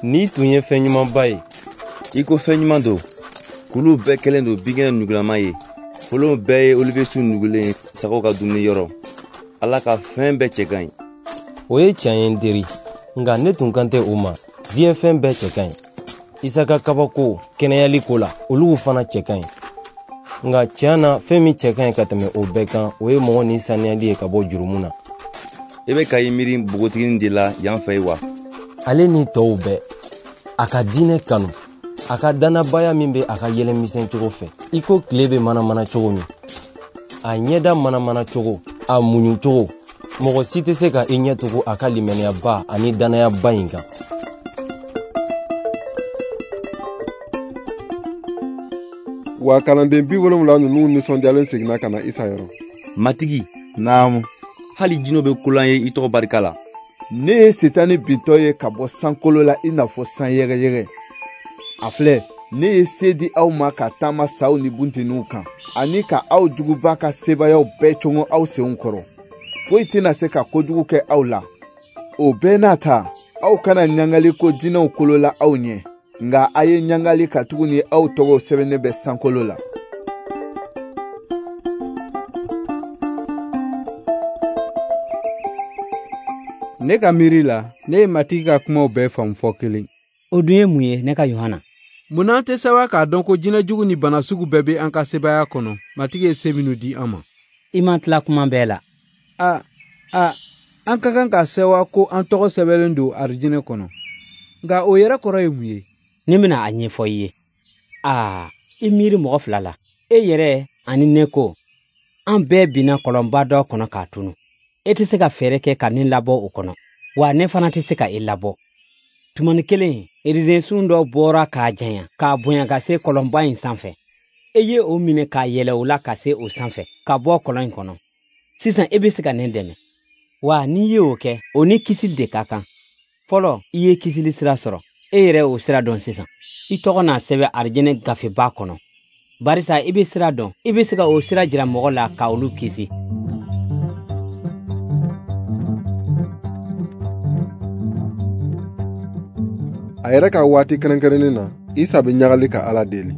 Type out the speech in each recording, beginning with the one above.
Ni tun ye fɛn ɲumanba ye. I ko fɛn ɲuman don. Kuluw bɛɛ kɛlen don binkɛnɛ nugulama ye. Folonw bɛɛ ye olivesun nugulen ye sagaw ka dumuni yɔrɔ. Ala ka fɛn bɛɛ cɛ ka ɲi. O ye tiɲɛ ye n teri, nka ne tun kan tɛ o ma. Diɲɛ fɛn bɛɛ cɛ ka ɲi. Isa ka kabako kɛnɛyali ko la, olu fana cɛ ka ɲi. Nka tiɲɛ na, fɛn min cɛ ka ɲi ka tɛmɛ o bɛɛ kan, o ye mɔgɔ ni saniyali ye ka bɔ jurumu na. I bɛ ka i miiri npogotiginin de la yan fɛ wa? Ale ni tɔw bɛɛ, a ka diinɛ kanu, a ka dannabaya min bɛ a ka yɛlɛmisɛn cogo fɛ, i ko tile bɛ manamana cogo min, a ɲɛda manamana cogo, a muɲu cogo, mɔgɔ si tɛ se ka i ɲɛ tugu a ka limɛniyaba ani dannayaba in kan. Wa kalanden 70 ninnu nisɔndiyalen seginna ka na Isa yɔrɔ. Matigi. Naamu. Hali jinɛw bɛ ko l'an ye i tɔgɔ barika la. Ne ye Setani bintɔ ye ka bɔ sankolo la i n'a fɔ san yɛgɛyɛgɛ. A filɛ, ne ye se di aw ma ka taama saw ni bunteniw kan, ani ka aw juguba ka sebayaw bɛɛ cogo aw senw kɔrɔ. Foyi tɛna se ka kojugu kɛ aw la. O bɛɛ n'a ta, aw kana ɲagali ko jinɛw kolola aw ɲɛ, nka a ye ɲagali katuguni aw tɔgɔw sɛbɛnnen bɛ sankolo la. Ne ka miiri la, ne ye Matigi ka kumaw bɛɛ faamu fɔ kelen. O dun ye mun ye, ne ka Yohana? Mun an tɛ sɛbɛn k'a dɔn ko jinɛ jugu ni bana sugu bɛɛ bɛ an ka sebaaya kɔnɔ, Matigi ye se minnu di an ma? I ma tila kuma bɛɛ la. An ka kan ka sɛwa ko an tɔgɔ sɛbɛnlen don arijinɛ kɔnɔ. Nka o yɛrɛ kɔrɔ ye mun ye? Ne bɛna a ɲɛfɔ i ye. I miiri mɔgɔ fila la. E yɛrɛ ani ne ko, an bɛɛ binna kɔlɔnba dɔ kɔnɔ k'a tunu. E tɛ se ka fɛɛrɛ kɛ ka ne labɔ o kɔnɔ, wa ne fana tɛ se ka e labɔ. Tumani kelen, erizensun dɔ bɔra k'a janya, k'a bonya ka se kɔlɔnba in sanfɛ. E ye o minɛ k'a yɛlɛ o la ka se o sanfɛ, ka bɔ kɔlɔn in kɔnɔ. Sisan e bɛ se ka ne dɛmɛ. Wa n'i ye o kɛ, o ni kisili de ka kan. Fɔlɔ, i ye kisili sira sɔrɔ. E yɛrɛ o sira dɔn sisan. I tɔgɔ n'a sɛbɛn arijinɛ gafeba kɔnɔ. Barisa i bɛ sira dɔn, i bɛ se ka o sira jira mɔgɔ la ka olu kisi. A yɛrɛ ka waati kɛrɛnkɛrɛnnen na, Isa bɛ ɲagali ka Ala deli.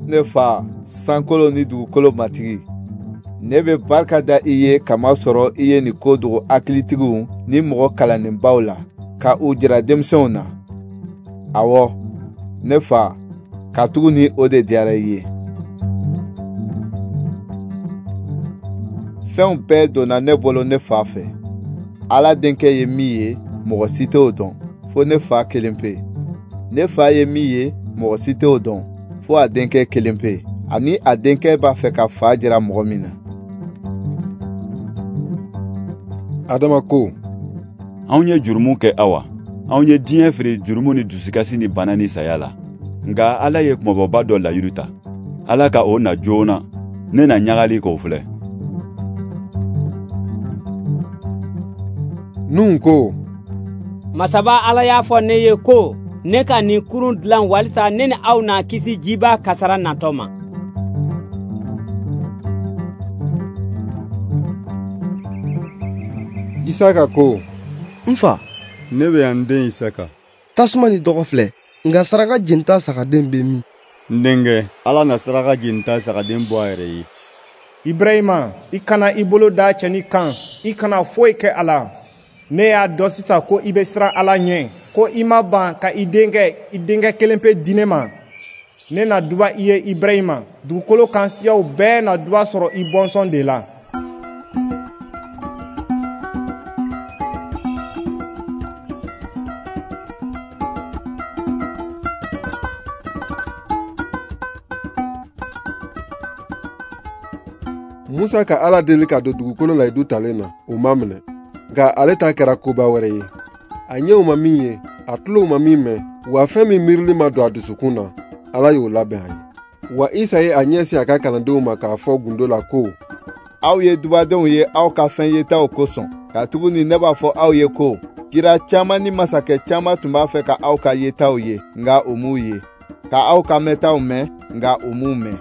Ne fa, sankolo ni dugukolo matigi, ne bɛ barika da i ye kamasɔrɔ i ye nin ko dogo hakilitigiw ni mɔgɔ kalannenbaw la, ka u jira denmisɛnw na. Awɔ, ne fa, katuguni o de diyara i ye. Fɛnw bɛɛ donna ne bolo ne fa fɛ. Ala denkɛ ye min ye, mɔgɔ si t'o dɔn, fo ne fa kelen pe. Ne fa ye min ye, mɔgɔ si t'o dɔn, fo a denkɛ kelen pe, ani a denkɛ b'a fɛ ka fa jira mɔgɔ min na. Adama ko, anw ye jurumu kɛ awa. Anw ye diɲɛ feere jurumu ni dusukasi ni bana ni saya la. Nka Ala ye kumabɔba dɔ layidu ta. Ala ka o na joona, ne na ɲagali k'o filɛ. Nuhun ko, Masaba Ala y'a fɔ ne ye ko ne ka nin kurun dilan walisa ne ni aw na kisi jiba kasara natɔ ma. Isaka ko, n fa, ne bɛ yan n den Isaka. Tasuma ni dɔgɔ filɛ, nka saraka jenita sagaden bɛ min? N denkɛ, Ala na saraka jenita sagaden bɔ a yɛrɛ ye. Ibrahima, i kana i bolo da cɛnin kan, i kana foyi kɛ a la. Ne y'a dɔn sisan ko i bɛ siran Ala ɲɛ, ko i ma ban ka i denkɛ kelen pe di ne ma. Ne na duba i ye Ibrahima, dugukolo kan siyaw bɛɛ na duba sɔrɔ i bɔnsɔn de la. Musa ka Ala deli ka don dugukolo layidu talen na, o ma minɛ. Nka ale ta kɛra koba wɛrɛ ye. A ɲɛw ma min ye, a tulow ma min mɛn, wa fɛn min miirili ma don a dusukun na, Ala y'o labɛn a ye. Wa Isa ye a ɲɛsin a ka kalandenw ma k'a fɔ gundo la ko, aw ye dubadenw ye aw ka fɛn yetaw kosɔn, katuguni ne b'a fɔ aw ye ko, kira caman ni masakɛ caman tun b'a fɛ ka aw ka yetaw ye, nka u m'u ye, ka aw ka mɛntaw mɛn, nka u m'u mɛn.